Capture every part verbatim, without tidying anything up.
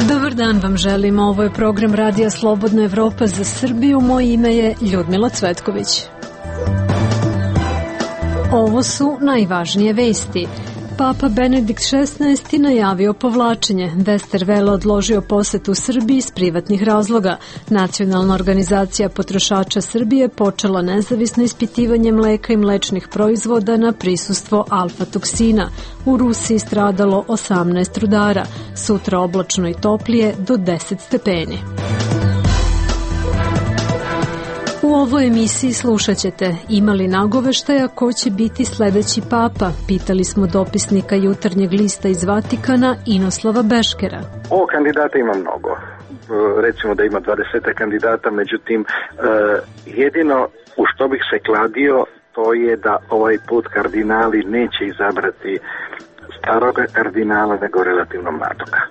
Dobar dan vam želim, ovo je program Radija Slobodna Evropa za Srbiju, moje ime je Ljudmila Cvetković. Ovo su najvažnije vesti. Papa Benedikt šesnaesti najavio povlačenje, Westerwelle odložio posetu Srbiji iz privatnih razloga. Nacionalna organizacija potrošača Srbije počela nezavisno ispitivanje mleka i mlečnih proizvoda na prisustvo alfa-toksina. U Rusiji stradalo osamnaest rudara, sutra oblačno i toplije do deset stepeni. U ovoj emisiji slušat ćete, ima li nagoveštaja ko će biti sledeći papa? Pitali smo dopisnika Jutarnjeg lista iz Vatikana Inoslava Beškera. O kandidata ima mnogo. Recimo da ima dvadeset kandidata, međutim jedino u što bih se kladio to je da ovaj put kardinali neće izabrati staroga kardinala nego relativno mladoga.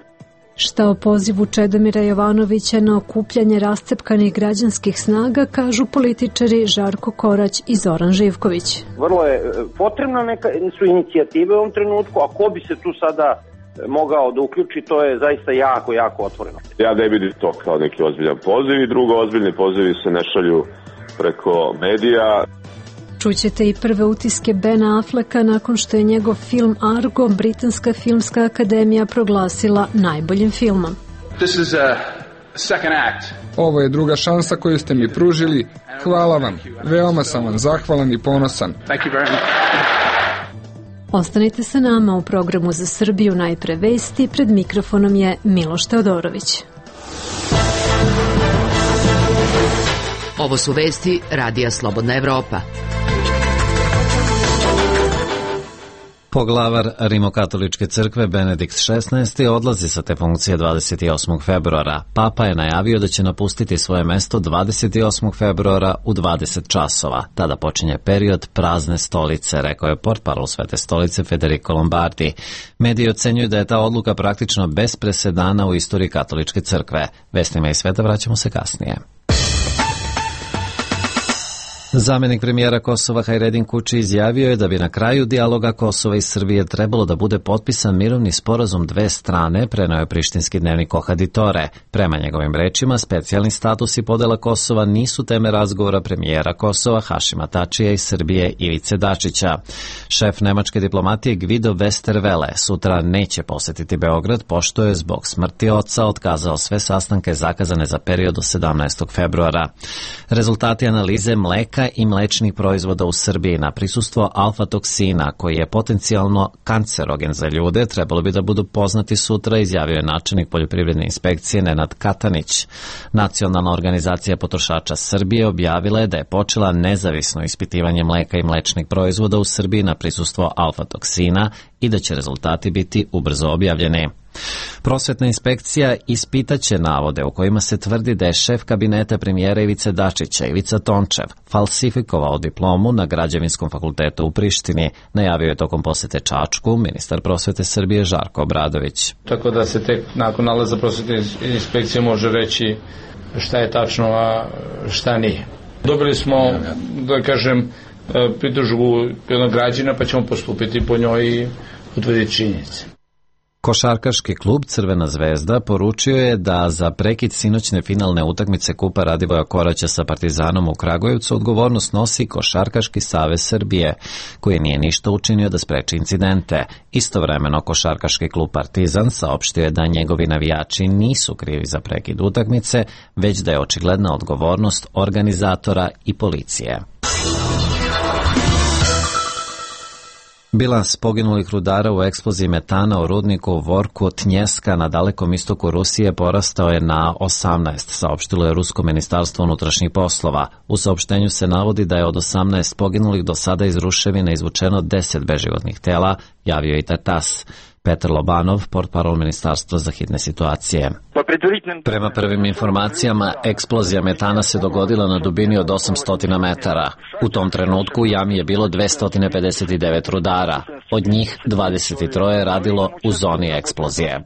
Šta o pozivu Čedomira Jovanovića na okupljanje rascepkanih građanskih snaga kažu političari Žarko Korać i Zoran Živković. Vrlo je potrebna neka su inicijative u ovom trenutku, a ko bi se tu sada mogao da uključi, to je zaista jako, jako otvoreno. Ja ne vidim to kao neki ozbiljan poziv i drugo, ozbiljni pozivi se ne šalju preko medija. Čućete i prve utiske Bena Afflecka nakon što je njegov film Argo Britanska filmska akademija proglasila najboljim filmom. This is a second act. Ovo je druga šansa koju ste mi pružili. Hvala vam. Veoma sam vam zahvalan i ponosan. Thank you very much. Ostanite sa nama u programu za Srbiju, najpre vesti. Pred mikrofonom je Miloš Teodorović. Ovo su vesti Radija Slobodna Evropa. Poglavar Rimokatoličke crkve Benedikt šesnaesti odlazi sa te funkcije dvadeset osmog februara. Papa je najavio da će napustiti svoje mesto dvadeset osmog februara u dvadeset časova. Tada počinje period prazne stolice, rekao je portparol Svete stolice Federico Lombardi. Mediji ocenjuju da je ta odluka praktično bez presedana u istoriji katoličke crkve. Vestima iz sveta vraćamo se kasnije. Zamenik premijera Kosova Hajredin Kuči izjavio je da bi na kraju dijaloga Kosova i Srbije trebalo da bude potpisan mirovni sporazum dve strane, preneo je prištinski dnevnik Ohaditore. Prema njegovim rečima, specijalni status i podela Kosova nisu teme razgovora premijera Kosova Hašima Tačija i Srbije Ivice Dačića. Šef nemačke diplomatije Guido Westerwelle sutra neće posetiti Beograd, pošto je zbog smrti oca otkazao sve sastanke zakazane za period do sedamnaestog februara. Rezultati analize mleka i mlečnih proizvoda u Srbiji na prisustvo alfa-toksina, koji je potencijalno kancerogen za ljude, trebalo bi da budu poznati sutra, izjavio je načelnik poljoprivredne inspekcije Nenad Katanić. Nacionalna organizacija potrošača Srbije objavila je da je počela nezavisno ispitivanje mleka i mlečnih proizvoda u Srbiji na prisustvo alfa-toksina i da će rezultati biti ubrzo objavljeni. Prosvetna inspekcija ispitaće navode u kojima se tvrdi da je šef kabineta premijera Ivice Dačića, Ivica Tončev, falsifikovao diplomu na Građevinskom fakultetu u Prištini, najavio je tokom posete Čačku ministar prosvete Srbije Žarko Obradović. Tako da se tek nakon nalaza prosvetne inspekcije može reći šta je tačno, a šta nije. Dobili smo, da kažem, pritužbu jednog građana, pa ćemo postupiti po njoj i utvrditi činjenice. Košarkaški klub Crvena zvezda poručio je da za prekid sinoćne finalne utakmice Kupa Radivoja Koraća sa Partizanom u Kragujevcu odgovornost nosi Košarkaški savez Srbije, koji nije ništa učinio da spreči incidente. Istovremeno Košarkaški klub Partizan saopštio je da njegovi navijači nisu krivi za prekid utakmice, već da je očigledna odgovornost organizatora i policije. Bilans poginulih rudara u eksploziji metana u rudniku Vorku Tnjeska na dalekom istoku Rusije porastao je na osamnaest, saopštilo je Rusko ministarstvo unutrašnjih poslova. U saopštenju se navodi da je od osamnaest poginulih do sada iz ruševina izvučeno deset beživotnih tela, javio i Tatas. Petar Lobanov, portparol ministarstva za hitne situacije. Prema prvim informacijama, eksplozija metana se dogodila na dubini od osamsto metara. U tom trenutku u jami je bilo dvesta pedeset devet rudara. Od njih dvadeset tri je radilo u zoni eksplozije.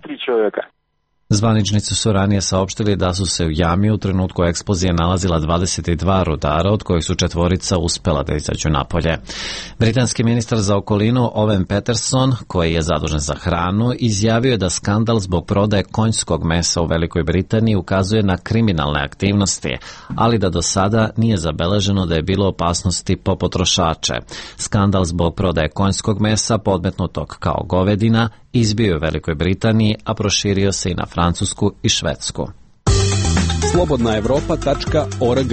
Zvaničnici su ranije saopštili da su se u jami u trenutku eksplozije nalazila dvadeset dva rudara, od kojih su četvorica uspela da izađu napolje. Britanski ministar za okolinu Owen Peterson, koji je zadužen za hranu, izjavio je da skandal zbog prodaje konjskog mesa u Velikoj Britaniji ukazuje na kriminalne aktivnosti, ali da do sada nije zabeleženo da je bilo opasnosti po potrošače. Skandal zbog prodaje konjskog mesa, podmetnutog kao govedina, izbio je u Velikoj Britaniji, a proširio se i na Francusku i Švedsku. slobodna evropa tačka org.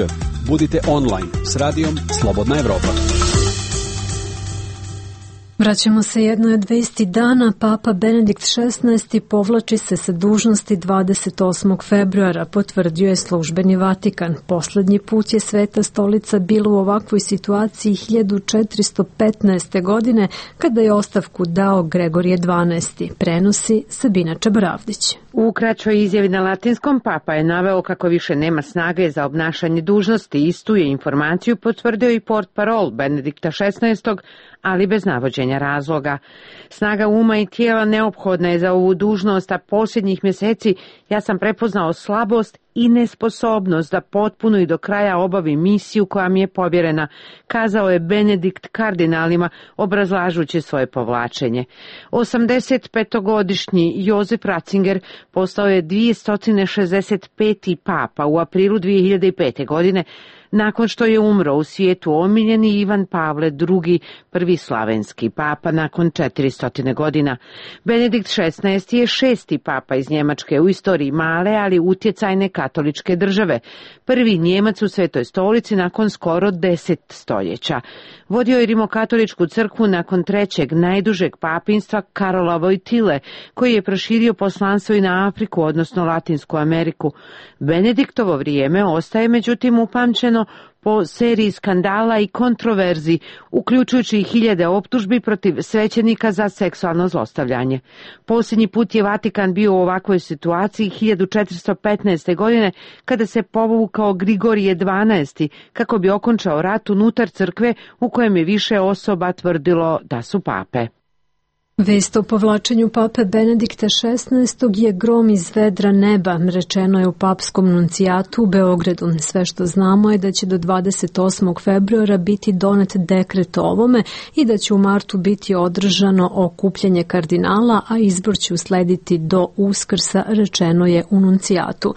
Budite online s radijom Slobodna Evropa. Vraćamo se jednoj od vesti dana. Papa Benedikt šesnaesti povlači se sa dužnosti dvadeset osmog februara, potvrdio je službeni Vatikan. Poslednji put je Sveta stolica bila u ovakvoj situaciji hiljadu četiristo petnaeste. godine, kada je ostavku dao Gregorije dvanaesti. Prenosi Sabina Čabaravdić. U kraćoj izjavi na latinskom papa je naveo kako više nema snage za obnašanje dužnosti. Istu je informaciju potvrdio i portparol Benedikta šesnaestog. ali bez navođenja razloga. Snaga uma i tijela neophodna je za ovu dužnost, a posljednjih mjeseci ja sam prepoznao slabost i nesposobnost da potpuno i do kraja obavi misiju koja mi je povjerena, kazao je Benedikt kardinalima obrazlažući svoje povlačenje. osamdesetpetogodišnji Jozef Ratzinger postao je dvjesto šezdeset peti papa u aprilu dvije hiljade pete. godine, nakon što je umro u svijetu omiljeni Ivan Pavle drugi, prvi slavenski papa nakon četiristo godina. Benedikt šesnaesti. je šesti papa iz Njemačke u istoriji male, ali utjecajne katoličke države. Prvi Njemac u Svetoj stolici nakon skoro deset stoljeća. Vodio je rimokatoličku crkvu nakon trećeg najdužeg papinstva Karola Vojtile, koji je proširio poslanstvo i na Afriku, odnosno Latinsku Ameriku. Benediktovo vrijeme ostaje međutim upamćeno po seriji skandala i kontroverzi, uključujući i hiljade optužbi protiv svećenika za seksualno zlostavljanje. Posljednji put je Vatikan bio u ovakvoj situaciji hiljadu četiristo petnaeste. godine, kada se povukao Grigorije dvanaesti. kako bi okončao rat unutar crkve u kojem je više osoba tvrdilo da su pape. Vest o povlačenju pape Benedikta šesnaestog. je grom iz vedra neba, rečeno je u papskom nuncijatu u Beogradu. Sve što znamo je da će do dvadeset osmog februara biti donet dekret o ovome i da će u martu biti održano okupljanje kardinala, a izbor će uslediti do Uskrsa, rečeno je u nuncijatu.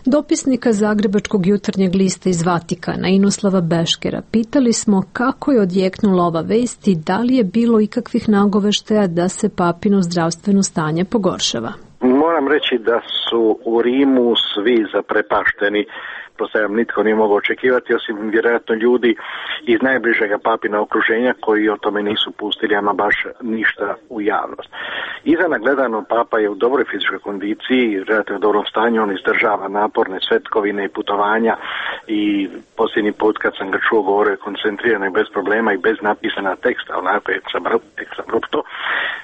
Dopisnika Zagrebačkog jutarnjeg lista iz Vatikana, Inoslava Beškera, pitali smo kako je odjeknula ova vest i da li je bilo ikakvih nagoveštaja da se papino zdravstveno stanje pogoršava. Moram reći da su u Rimu svi zaprepašteni. Postavljam, nitko nije mogao očekivati, osim vjerojatno ljudi iz najbližega papina okruženja koji o tome nisu pustili ama baš ništa u javnost. Izana gledano, papa je u dobroj fizičkoj kondiciji, relativno dobrom stanju, on izdržava naporne svetkovine i putovanja i posljednji put kad sam ga čuo govorio je koncentrirano i bez problema i bez napisana teksta, onako eksabrupto.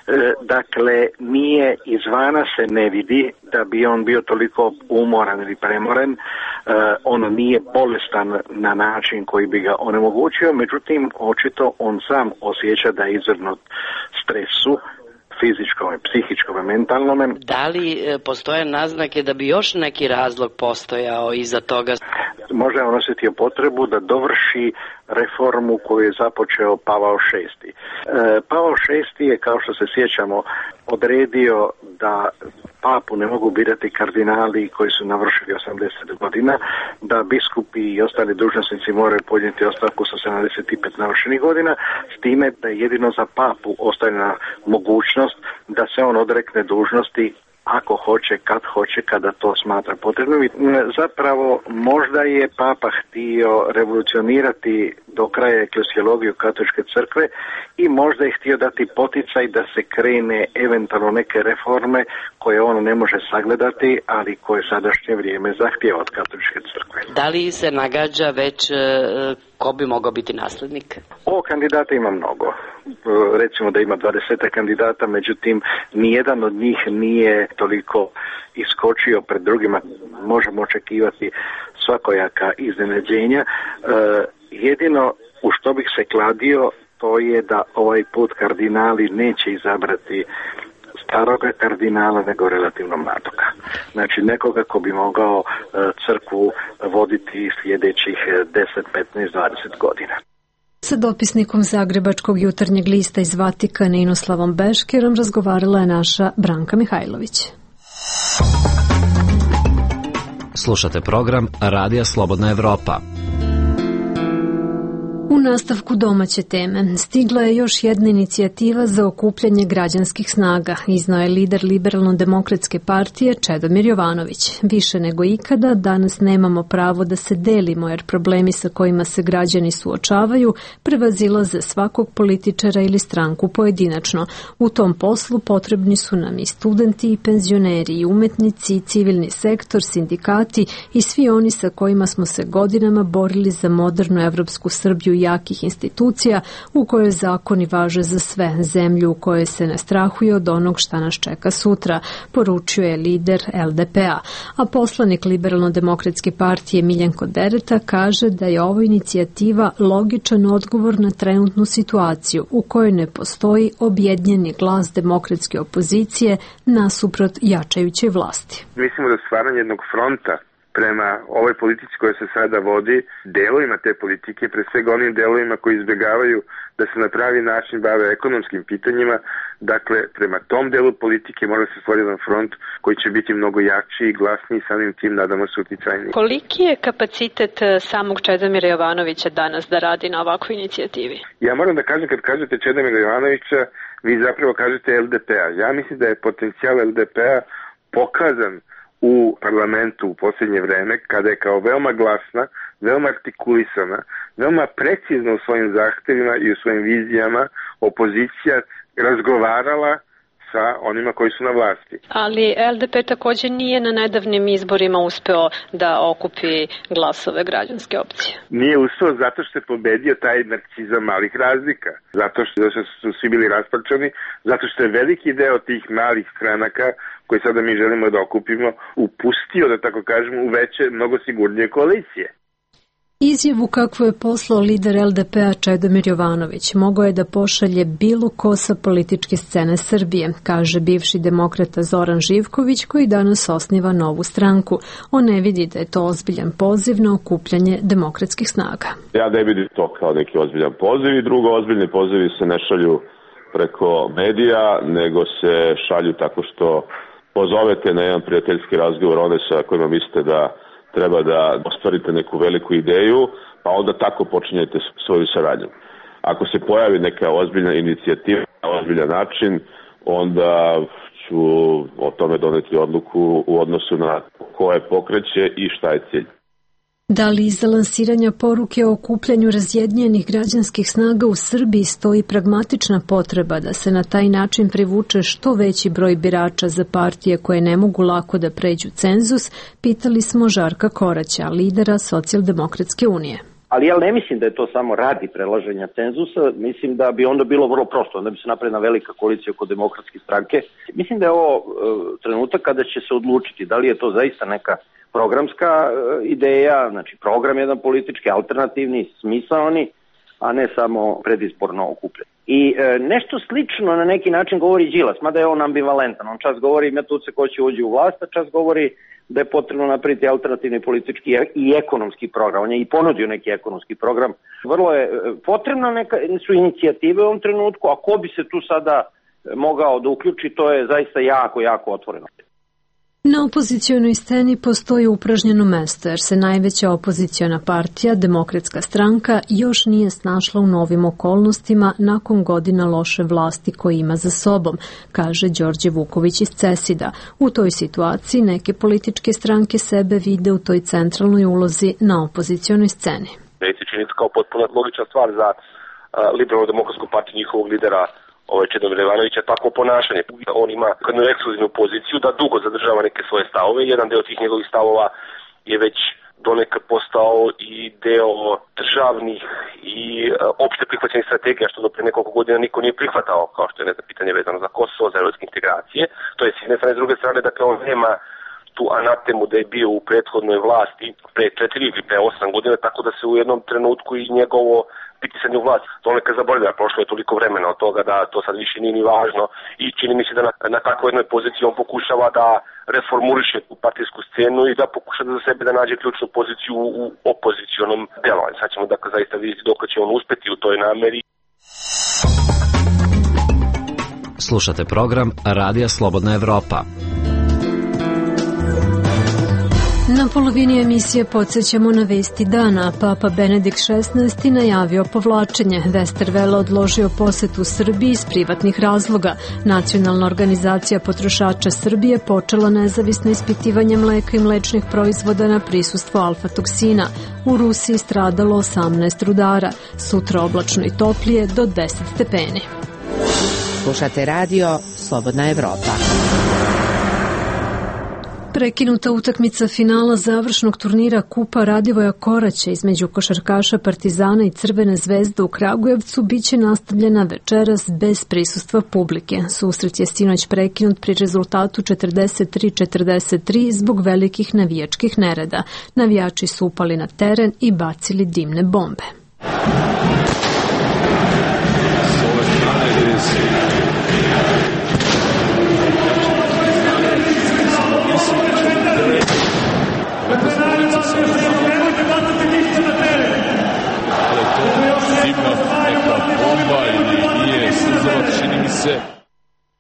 E, dakle, nije izvana se ne vidi da bi on bio toliko umoran ili premoren, e, on nije bolestan na način koji bi ga onemogućio, međutim, očito on sam osjeća da je izvrgnut stresu, fizičkom, psihičkom i mentalnom. Da li e, postoje naznake da bi još neki razlog postojao iza toga? Možda je on osjetio potrebu da dovrši reformu koju je započeo Pavao šesti. E, Pavao šesti je, kao što se sjećamo, odredio da papu ne mogu birati kardinali koji su navršili osamdeset godina, da biskupi i ostali dužnosnici moraju podnijeti ostavku sa sedamdeset pet navršenih godina, s time da je jedino za papu ostavljena mogućnost da se on odrekne dužnosti ako hoće, kad hoće, kada to smatra potrebno. Zapravo, možda je papa htio revolucionirati do kraja eklesiologiju katoličke crkve i možda je htio dati poticaj da se krene eventualno neke reforme koje on ne može sagledati, ali koje sadašnje vrijeme zahtijeva od katoličke crkve. Da li se nagađa već ko bi mogao biti naslednik? O kandidata ima mnogo. Recimo da ima dvadeset kandidata, međutim nijedan od njih nije toliko iskočio pred drugima. Možemo očekivati svakojaka iznenađenja. E, jedino u što bih se kladio, to je da ovaj put kardinali neće izabrati staroga kardinala nego relativno mladoga. Znači nekoga ko bi mogao uh, crkvu voditi sljedećih deset, petnaest, dvadeset godina. Sa dopisnikom Zagrebačkog jutarnjeg lista iz Vatikana Inoslavom Beškerom razgovarala je naša Branka Mihajlović. Slušate program Radija Slobodna Evropa. U nastavku domaće teme stigla je još jedna inicijativa za okupljanje građanskih snaga, iznao je lider Liberalno-demokratske partije Čedomir Jovanović. Više nego ikada danas nemamo pravo da se delimo jer problemi sa kojima se građani suočavaju prevazilaze svakog političara ili stranku pojedinačno. U tom poslu potrebni su nam i studenti i penzioneri i umetnici i civilni sektor, sindikati i svi oni sa kojima smo se godinama borili za modernu evropsku Srbiju jakih institucija u kojoj zakoni važe za sve, zemlju u kojoj se ne strahuje od onog šta nas čeka sutra, poručio je lider L D P-a. A poslanik Liberalno-demokratske partije Miljenko Dereta kaže da je ova inicijativa logičan odgovor na trenutnu situaciju u kojoj ne postoji objedinjeni glas demokratske opozicije nasuprot jačajućoj vlasti. Mislimo da stvaranje jednog fronta prema ovoj politici koja se sada vodi, delovima te politike, pre svega onim delovima koji izbjegavaju da se na pravi način bave ekonomskim pitanjima, dakle, prema tom delu politike mora se stvoriti jedan front koji će biti mnogo jači i glasniji, samim tim nadamo se uticajniji. Koliki je kapacitet samog Čedomira Jovanovića danas da radi na ovakvoj inicijativi? Ja moram da kažem, kad kažete Čedomira Jovanovića, vi zapravo kažete L D P-a. Ja mislim da je potencijal L D P-a pokazan u parlamentu u posljednje vreme, kada je kao veoma glasna, veoma artikulisana, veoma precizna u svojim zahtevima i u svojim vizijama opozicija razgovarala sa onima koji su na vlasti. Ali L D P također nije na nedavnim izborima uspeo da okupi glasove građanske opcije. Nije uspeo zato što je pobedio taj narcizam malih razlika, zato što su svi bili rasparčani, zato što je veliki deo tih malih stranaka koje sada mi želimo da okupimo upustio, da tako kažemo, u veće, mnogo sigurnije koalicije. Izjavu kakvu je poslao lider L D P-a Čedomir Jovanović mogao je da pošalje bilo ko sa političke scene Srbije, kaže bivši demokrata Zoran Živković koji danas osniva novu stranku. On ne vidi da je to ozbiljan poziv na okupljanje demokratskih snaga. Ja ne vidim to kao neki ozbiljan poziv i drugo, ozbiljni pozivi se ne šalju preko medija, nego se šalju tako što pozovete na jedan prijateljski razgovor one sa kojima mislite da treba da ostvarite neku veliku ideju, pa onda tako počinjete svoju saradnju. Ako se pojavi neka ozbiljna inicijativa na ozbiljan način, onda ću o tome doneti odluku u odnosu na ko je pokreće i šta je cilj. Da li iza lansiranja poruke o okupljanju razjedinjenih građanskih snaga u Srbiji stoji pragmatična potreba da se na taj način privuče što veći broj birača za partije koje ne mogu lako da pređu cenzus, pitali smo Žarka Koraća, lidera Socijaldemokratske unije. Ali ja ne mislim da je to samo radi prelaženja cenzusa, mislim da bi onda bilo vrlo prosto, onda bi se napravila velika koalicija oko demokratske stranke. Mislim da je ovo e, trenutak kada će se odlučiti da li je to zaista neka programska e, ideja, znači program jedan politički, alternativni, smisaoni, a ne samo predizborno okupljen. I e, nešto slično na neki način govori Đilas, mada je on ambivalentan. On čas govori ima tu se ko će uđi u vlast, a čas govori da je potrebno napraviti alternativni politički i ekonomski program. On je i ponudio neki ekonomski program. Vrlo je potrebno neka, su inicijative u ovom trenutku, a ko bi se tu sada mogao da uključi, to je zaista jako, jako otvoreno. Na opozicijonoj sceni postoji upražnjeno mesto jer se najveća opoziciona partija, Demokratska stranka, još nije snašla u novim okolnostima nakon godina loše vlasti koje ima za sobom, kaže Đorđe Vuković iz Cesida. U toj situaciji neke političke stranke sebe vide u toj centralnoj ulozi na opozicijonoj sceni. Meni se čini kao potpuno logična stvar za uh, Liberalno-demokratsku partiju njihovog lidera ovaj Čedomira Jovanovića takvo ponašanje. On ima jednu ekskluzivnu poziciju da dugo zadržava neke svoje stavove. Jedan deo tih njegovih stavova je već donekad postao i deo državnih i uh, opšte prihvaćenih strategija, što do pre nekoliko godina niko nije prihvatao, kao što je ne znam, pitanje vezano za Kosovo, za evropske integracije. To je s jedne strane, s druge strane, dakle on nema tu anatemu da je bio u prethodnoj vlasti pre četiri ili pre osam godina, tako da se u jednom trenutku i njegovo pritisanje u vlast. To neka zaboravlja, prošlo je toliko vremena od toga da to sad više nije ni važno i čini mi se da na, na takvoj jednoj poziciji on pokušava da reformuliše tu partijsku scenu i da pokuša da za sebe da nađe ključnu poziciju u opozicionom delovanju. Sad ćemo dakle zaista vidjeti dok će on uspeti u toj nameri. Slušate program Radija Slobodna Evropa. Na polovini emisije podsjećamo na vesti dana. Papa Benedikt šesnaesti najavio povlačenje. Westerwelle odložio posetu Srbiji iz privatnih razloga. Nacionalna organizacija potrošača Srbije počela nezavisno ispitivanje mleka i mlečnih proizvoda na prisustvo alfa-toksina. U Rusiji stradalo osamnaest rudara. Sutra oblačno i toplije do deset stepeni. Slušate radio Slobodna Evropa. Prekinuta utakmica finala završnog turnira Kupa Radivoja Koraća između košarkaša Partizana i Crvene zvezde u Kragujevcu biće nastavljena večeras bez prisustva publike. Susret je sinoć prekinut pri rezultatu četrdeset tri četrdeset tri zbog velikih navijačkih nereda. Navijači su upali na teren i bacili dimne bombe.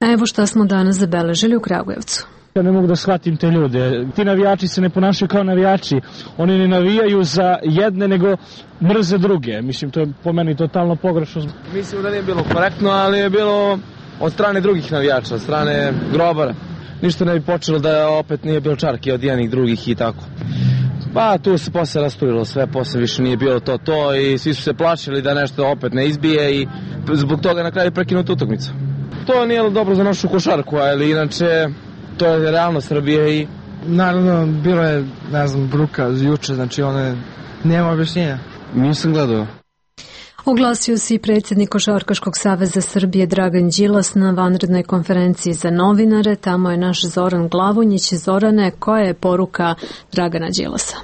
A evo šta smo danas zabeležili u Kragujevcu. Ja ne mogu da shvatim te ljude. Ti navijači se ne ponašaju kao navijači. Oni ne navijaju za jedne, nego mrze druge. Mislim, to je po meni totalno pogrešno. Mislim da nije bilo korektno, ali je bilo od strane drugih navijača, od strane grobara. Ništa ne bi počelo da opet nije bilo čarke od jednih drugih i tako. Pa tu se posle rasturilo sve, posle više nije bilo to to i svi su se plašili da nešto opet ne izbije i zbog toga na kraju prekinuta utakmica. To nije dobro za našu košarku, ali inače to je realnost Srbije i... Naravno, bilo je, ne znam, bruka juče, znači one, nema objašnjenja. Nisam gledao. Oglasio se i predsjednik Košarkaškog saveza Srbije Dragan Đilas na vanrednoj konferenciji za novinare. Tamo je naš Zoran Glavonjić. Zorane, koja je poruka Dragana Đilasa?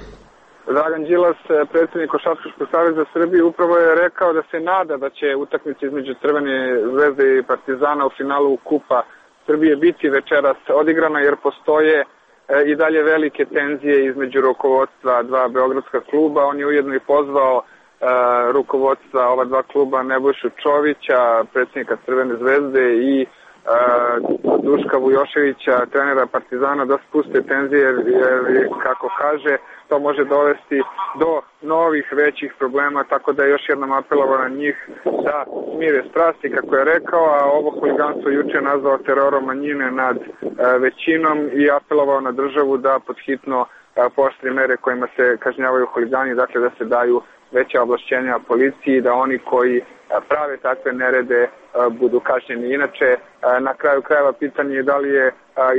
Dragan Đilas, predsjednik Košarkaškog saveza Srbije, upravo je rekao da se nada da će utakmica između Crvene zvezde i Partizana u finalu Kupa Srbije biti večeras odigrana, jer postoje i dalje velike tenzije između rukovodstva dva beogradska kluba. On je ujedno i pozvao rukovodstva ova dva kluba Nebojšu Čovića, predsjednika Crvene zvezde, i Duška Vujoševića, trenera Partizana, da spuste tenzije, jer, jer kako kaže, to može dovesti do novih većih problema, tako da je još jednom apelovao na njih da smire strasti, kako je rekao, a ovo huliganstvo juče nazvao terorom manjine nad većinom i apelovao na državu da podhitno pooštri mere kojima se kažnjavaju huligani, dakle da se daju veća ovlašćenja policiji, da oni koji prave takve nerede budu kažnjeni. Inače, na kraju krajeva pitanje je da li je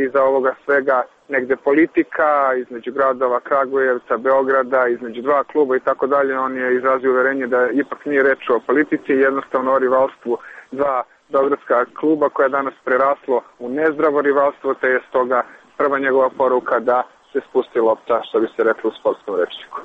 iza ovoga svega negde politika između gradova Kragujevca, Beograda, između dva kluba i tako dalje. On je izrazio uverenje da ipak nije reč o politici, jednostavno o rivalstvu dva beogradska kluba koja je danas preraslo u nezdravo rivalstvo, te je stoga prva njegova poruka da se spusti lopta, što bi se reklo u sportskom rečniku.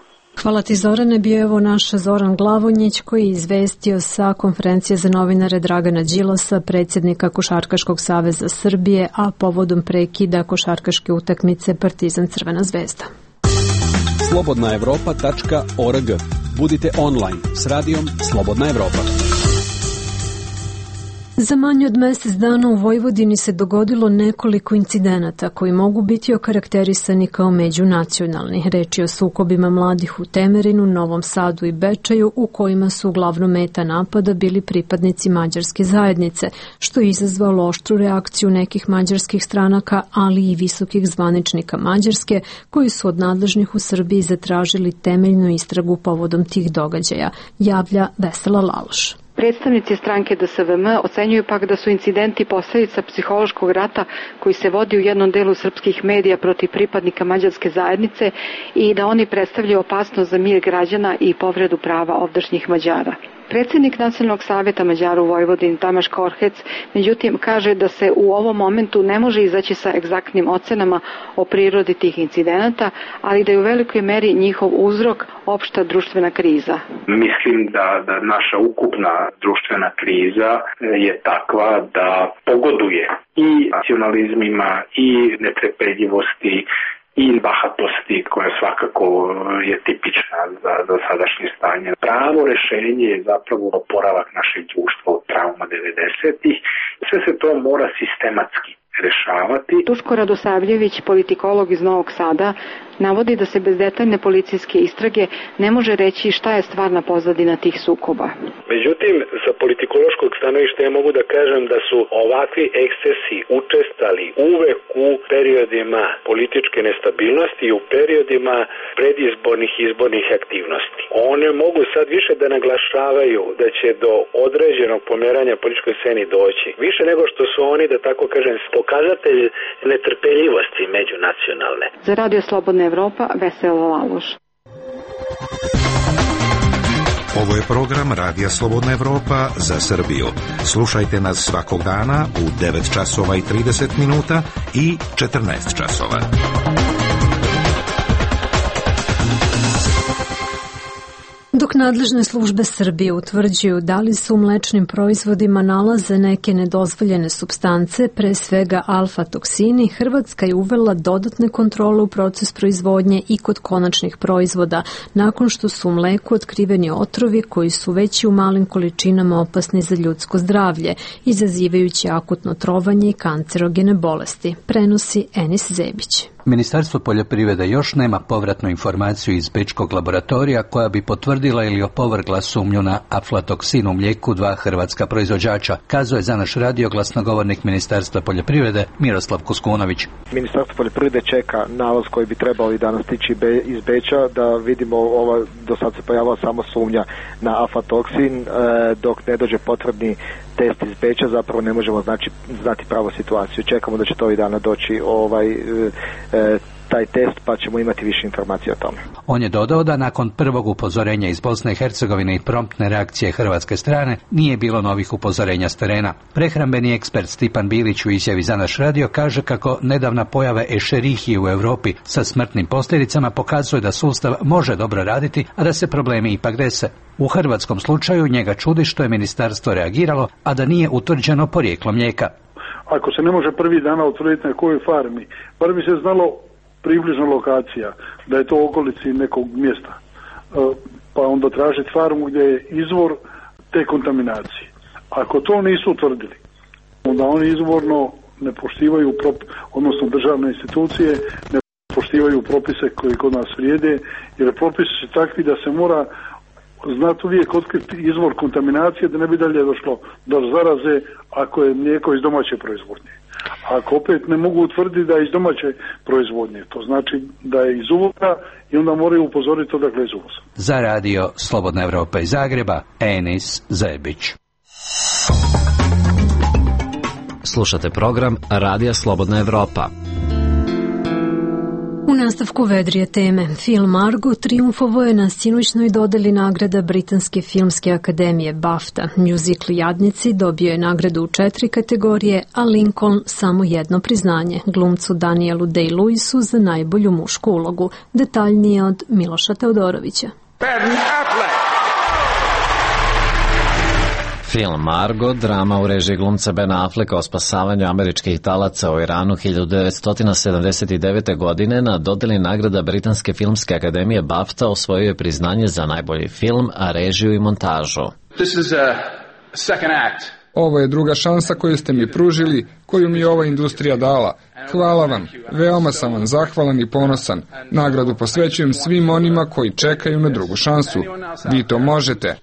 Hvala ti, Zorane. Bio je evo naš Zoran Glavonjić koji je izvestio sa konferencije za novinare Dragana Đilasa, predsjednika Košarkaškog saveza Srbije, a povodom prekida košarkaške utakmice Partizan Crvena zvezda. slobodna evropa tačka org. Budite online s radijom Slobodna Evropa. Za manje od mjesec dana u Vojvodini se dogodilo nekoliko incidenata koji mogu biti okarakterisani kao međunacionalni. Reč je o sukobima mladih u Temerinu, Novom Sadu i Bečaju, u kojima su uglavnom meta napada bili pripadnici mađarske zajednice, što je izazvalo oštru reakciju nekih mađarskih stranaka, ali i visokih zvaničnika Mađarske, koji su od nadležnih u Srbiji zatražili temeljnu istragu povodom tih događaja, javlja Vesela Laloš. Predstavnici stranke D S V M ocenjuju pak da su incidenti posledica psihološkog rata koji se vodi u jednom delu srpskih medija protiv pripadnika mađarske zajednice i da oni predstavljaju opasnost za mir građana i povredu prava ovdašnjih Mađara. Predsjednik Nacionalnog savjeta Mađara u Vojvodini Tamaš Korhec, međutim, kaže da se u ovom momentu ne može izaći sa egzaktnim ocenama o prirodi tih incidenata, ali da je u velikoj meri njihov uzrok opšta društvena kriza. Mislim da, da naša ukupna društvena kriza je takva da pogoduje i nacionalizmima i netrpeljivosti i bahatosti koja svakako je tipična za, za sadašnje stanje. Pravo rešenje je zapravo oporavak našeg društva od trauma devedesetih. Sve se to mora sistematski rešavati. Duško Radosavljević, politikolog iz Novog Sada, navodi da se bez detaljne policijske istrage ne može reći šta je stvarna pozadina tih sukoba. Međutim, sa politikološkog stanovišta ja mogu da kažem da su ovakvi ekscesi učestali uvek u periodima političke nestabilnosti i u periodima predizbornih izbornih aktivnosti. One mogu sad više da naglašavaju da će do određenog pomeranja političkoj sceni doći. Više nego što su oni, da tako kažem, pokazatelj netrpeljivosti međunacionalne. Za Radio Slobodna Evropa, Vesela Laloš. Ovo je program Radija Slobodna Evropa za Srbiju. Slušajte nas svakog dana u devet časova i trideset minuta i četrnaest časova. Dok nadležne službe Srbije utvrđuju da li se u mlečnim proizvodima nalaze neke nedozvoljene supstance, pre svega alfa-toksini, Hrvatska je uvela dodatne kontrole u proces proizvodnje i kod konačnih proizvoda, nakon što su u mleku otkriveni otrovi koji su već i u malim količinama opasni za ljudsko zdravlje, izazivajući akutno trovanje i kancerogene bolesti, prenosi Enis Zebić. Ministarstvo poljoprivrede još nema povratnu informaciju iz bečkog laboratorija koja bi potvrdila ili opovrgla sumnju na aflatoksin u mlijeku dva hrvatska proizvođača, kazuje za naš radio glasnogovornik Ministarstva poljoprivrede Miroslav Kuskunović. Ministarstvo poljoprivrede čeka nalaz koji bi trebao i danas stići iz Beča da vidimo, ova, do sad se pojavila samo sumnja na aflatoksin, dok ne dođe potrebni test iz Beča, zapravo ne možemo znači, znati pravu situaciju. Čekamo da će to i dana doći ovaj, e, taj test, pa ćemo imati više informacije o tome. On je dodao da nakon prvog upozorenja iz Bosne i Hercegovine i promptne reakcije hrvatske strane nije bilo novih upozorenja s terena. Prehrambeni ekspert Stipan Bilić u izjavi za naš radio kaže kako nedavna pojava Escherichie u Europi sa smrtnim posljedicama pokazuje da sustav može dobro raditi, a da se problemi ipak dese. U hrvatskom slučaju njega čudi što je ministarstvo reagiralo, a da nije utvrđeno porijeklo mlijeka. Ako se ne može prvi dana utvrditi na kojoj farmi, bar bi se znalo približna lokacija, da je to u okolici nekog mjesta, pa onda tražiti farmu gdje je izvor te kontaminacije. Ako to nisu utvrdili, onda oni izvorno ne poštivaju, odnosno državne institucije ne poštivaju propise koji kod nas vrijede, jer propisi su takvi da se mora znati uvijek otkriti izvor kontaminacije da ne bi dalje došlo do zaraze ako je mlijeko iz domaće proizvodnje. Ako opet ne mogu utvrditi da je iz domaće proizvodnje, to znači da je iz uvoza i onda moraju upozoriti odakle iz uvoza. Za radio Slobodna Evropa iz Zagreba, Enis Zebić. Slušate program Radija Slobodna Evropa. U nastavku vedrije teme, film Argo triumfovao je na sinoćnoj dodeli nagrada Britanske filmske akademije BAFTA. Muzikl Jadnici dobio je nagradu u četiri kategorije, a Lincoln samo jedno priznanje, glumcu Danielu Day-Lewisu za najbolju mušku ulogu. Detaljnije od Miloša Teodorovića. Film Argo, drama u režiji glumca Bena Afflecka o spasavanju američkih talaca u Iranu hiljadu devetsto sedamdeset devete. godine na dodeli nagrada Britanske filmske akademije BAFTA osvojio je priznanje za najbolji film, a režiju i montažu. This is a second act. Ovo je druga šansa koju ste mi pružili, koju mi je ova industrija dala. Hvala vam, veoma sam vam zahvalan i ponosan. Nagradu posvećujem svim onima koji čekaju na drugu šansu. Vi to možete.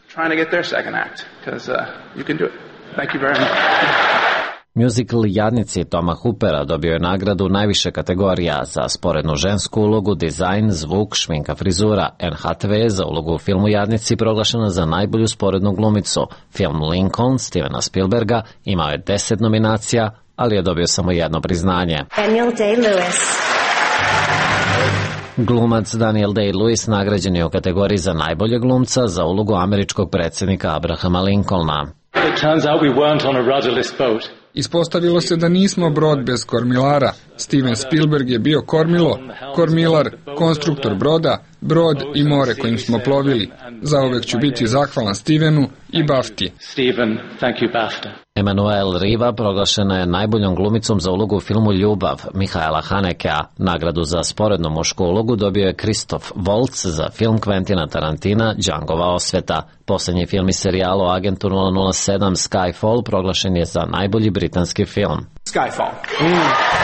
Musical Jadnici Toma Hoopera dobio je nagradu najviše kategorija za sporednu žensku ulogu, dizajn, zvuk, šminka, frizura. Anne Hathaway za ulogu u filmu Jadnici proglašena za najbolju sporednu glumicu. Film Lincoln Stevena Spielberga imao je deset nominacija, ali je dobio samo jedno priznanje. Daniel Day-Lewis. Glumac Daniel Day-Lewis nagrađen je u kategoriji za najboljeg glumca za ulogu američkog predsjednika Abrahama Lincolna. Ispostavilo se da nismo brod bez kormilara. Steven Spielberg je bio kormilo, kormilar, konstruktor broda, brod i more kojim smo plovili. Zauvek ću biti zahvalan Stevenu i Bafti. Emanuel Riva proglašena je najboljom glumicom za ulogu u filmu Ljubav Mihaela Hanekea. Nagradu za sporednu mušku ulogu dobio je Christoph Waltz za film Quentina Tarantina Djangova osveta. Poslednji film iz serijala o agentu nula nula sedam Skyfall proglašen je za najbolji britanski film. Skyfall. Mm.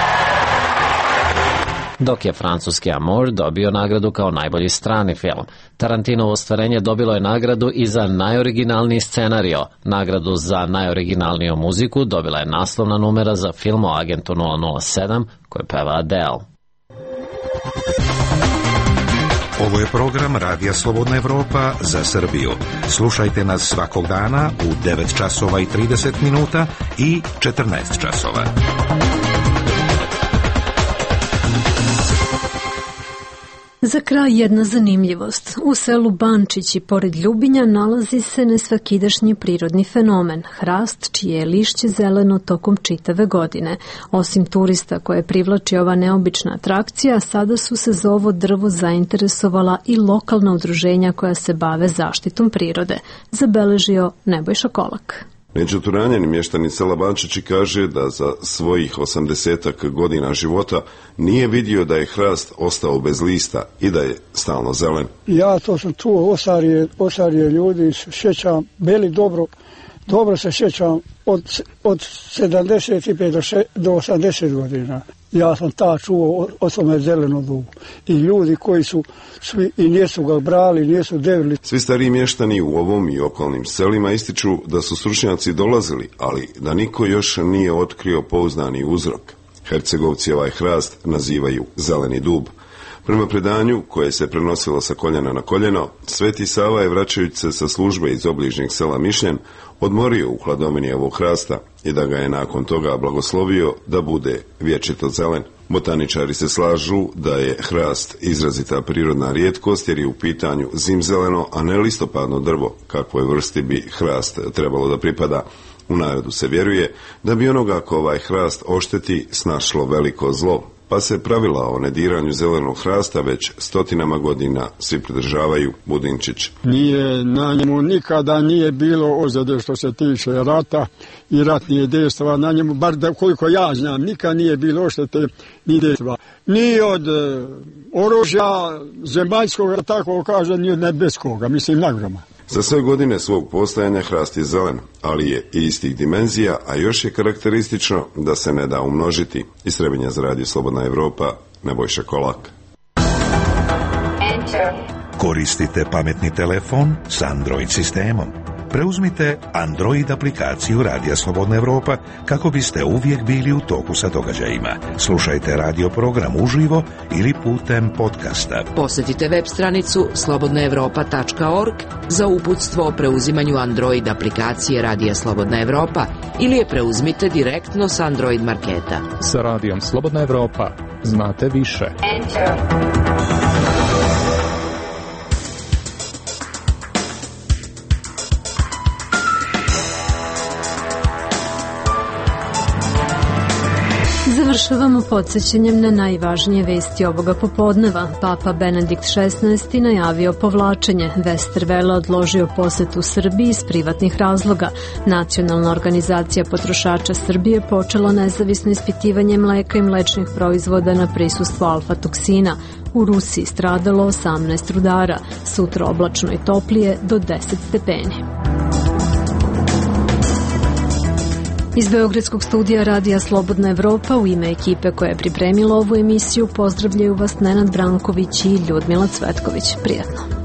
Dok je francuski Amour dobio nagradu kao najbolji strani film. Tarantinovo ostvarenje dobilo je nagradu i za najoriginalniji scenario. Nagradu za najoriginalniju muziku dobila je naslovna numera za film o agentu nula nula sedam koju peva Adele. Ovo je program Radija Slobodna Evropa za Srbiju. Slušajte nas svakog dana u devet časova i trideset minuta i četrnaest časova. Za kraj jedna zanimljivost. U selu Bančići, pored Ljubinja, nalazi se nesvakidašnji prirodni fenomen, hrast čije je lišće zeleno tokom čitave godine. Osim turista koje privlači ova neobična atrakcija, sada su se za ovo drvo zainteresovala i lokalna udruženja koja se bave zaštitom prirode, zabeležio Nebojša Kolak. Međuturanjeni mještani sela Bančići kaže da za svojih osamdesetak godina života nije vidio da je hrast ostao bez lista i da je stalno zelen. Ja to sam čuo osarije, osarije ljudi, sjećam, bili dobro, dobro se sjećam od, od sedamdeset pet do osamdeset godina. Ja sam ta čuo o tome zeleno dubu. I ljudi koji su svi i nisu ga brali, nisu devili. Svi stariji mještani u ovom i okolnim selima ističu da su stručnjaci dolazili, ali da niko još nije otkrio pouzdani uzrok. Hercegovci ovaj hrast nazivaju zeleni dub. Prema predanju, koje se prenosilo sa koljena na koljeno, Sveti Sava je, vraćajući se sa službe iz obližnjeg sela Mišljen, odmorio u hladovini ovog hrasta i da ga je nakon toga blagoslovio da bude vječito zelen. Botaničari se slažu da je hrast izrazita prirodna rijetkost jer je u pitanju zimzeleno, a ne listopadno drvo, kakvoj vrsti bi hrast trebalo da pripada. U narodu se vjeruje da bi onoga ko ovaj hrast ošteti snašlo veliko zlo, pa se pravila o nediranju zelenog hrasta već stotinama godina svi pridržavaju. Budinčić. Nije, na njemu nikada nije bilo ozljede što se tiče rata i ratnije dejstva. Na njemu, bar da koliko ja znam, nikad nije bilo oštete ni dejstva. Ni od e, oružja zemaljskog, tako kaže, ni od nebeskog, mislim nagroma. Za sve godine svog postojanja hrast je zelen, ali je i istih dimenzija, a još je karakteristično da se ne da umnožiti. Iz Trebinja za Radio Slobodna Evropa, Nebojša Kolak. Koristite pametni telefon s Android sistemom. Preuzmite Android aplikaciju Radija Slobodna Evropa kako biste uvijek bili u toku sa događajima. Slušajte radio program uživo ili putem podcasta. Posjetite web stranicu slobodna evropa tačka org za uputstvo o preuzimanju Android aplikacije Radija Slobodna Evropa ili je preuzmite direktno s Android marketa. Sa Radijom Slobodna Evropa znate više. Enter. Završavamo podsjećanjem na najvažnije vesti ovoga popodneva. Papa Benedikt šesnaesti najavio povlačenje. Westerwelle odložio posetu Srbiji iz privatnih razloga. Nacionalna organizacija potrošača Srbije počela nezavisno ispitivanje mleka i mlečnih proizvoda na prisustvo alfa-toksina. U Rusiji stradalo osamnaest rudara. Sutra oblačno i toplije do deset stepeni. Iz Beogradskog studija Radija Slobodna Evropa u ime ekipe koja je pripremila ovu emisiju pozdravljaju vas Nenad Branković i Ljudmila Cvetković. Prijatno.